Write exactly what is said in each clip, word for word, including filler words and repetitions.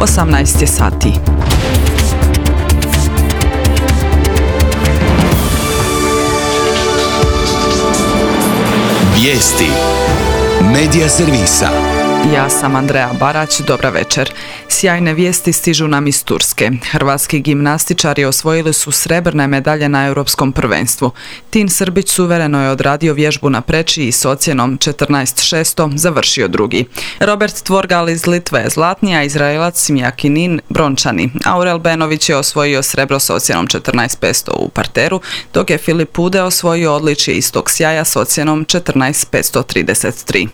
osamnaest je sati. Vijesti Medija servisa. Ja sam Andreja Barać, dobra večer. Sjajne vijesti stižu nam iz Turske. Hrvatski gimnastičari osvojili su srebrne medalje na europskom prvenstvu. Tin Srbić suvereno je odradio vježbu na preči i s ocjenom četrnaest šest završio drugi. Robert Tvorgal iz Litve je zlatni, a Izraelac Simjakinin brončani. Aurel Benović je osvojio srebro s ocjenom četrnaest pet u parteru, dok je Filip Pude osvojio odličje istog sjaja s ocjenom četrnaest pet trideset tri.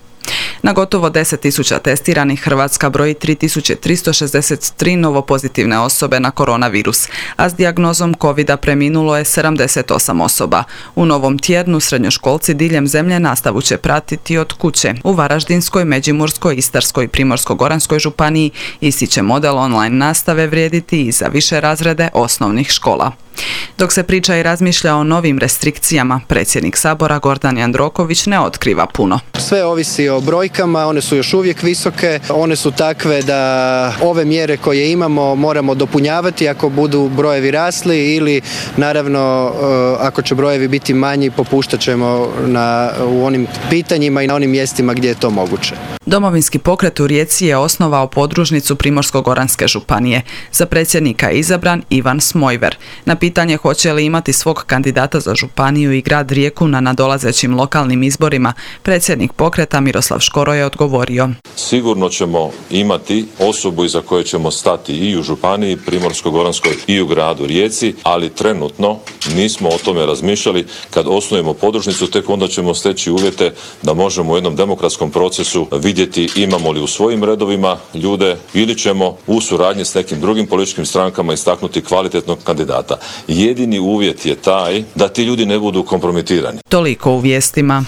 Na gotovo deset tisuća testiranih Hrvatska broji tri tisuće tristo šezdeset tri novopozitivne osobe na koronavirus, a s dijagnozom covida preminulo je sedamdeset osam osoba. U novom tjednu srednjoškolci diljem zemlje nastavu će pratiti od kuće. U Varaždinskoj, Međimurskoj, Istarskoj i Primorsko-goranskoj županiji isti će model online nastave vrijediti i za više razrede osnovnih škola. Dok se priča i razmišlja o novim restrikcijama, predsjednik Sabora Gordan Jandroković ne otkriva puno. Sve ovisi o brojkama, one su još uvijek visoke, one su takve da ove mjere koje imamo moramo dopunjavati ako budu brojevi rasli ili naravno ako će brojevi biti manji popuštat ćemo na, u onim pitanjima i na onim mjestima gdje je to moguće. Domovinski pokret u Rijeci je osnovao podružnicu Primorsko-goranske županije. Za predsjednika je izabran Ivan Smojver. Na pitanje hoće li imati svog kandidata za županiju i grad Rijeku na nadolazećim lokalnim izborima, predsjednik pokreta Miroslav Škoro je odgovorio. Sigurno ćemo imati osobu iza koje ćemo stati i u županiji Primorsko-goranskoj i u gradu Rijeci, ali trenutno nismo o tome razmišljali. Kad osnujemo podružnicu, tek onda ćemo steći uvjete da možemo u jednom demokratskom procesu vidjeti imamo li u svojim redovima ljude ili ćemo u suradnji s nekim drugim političkim strankama istaknuti kvalitetnog kandidata. Jedini uvjet je taj da ti ljudi ne budu kompromitirani. Toliko u vijestima.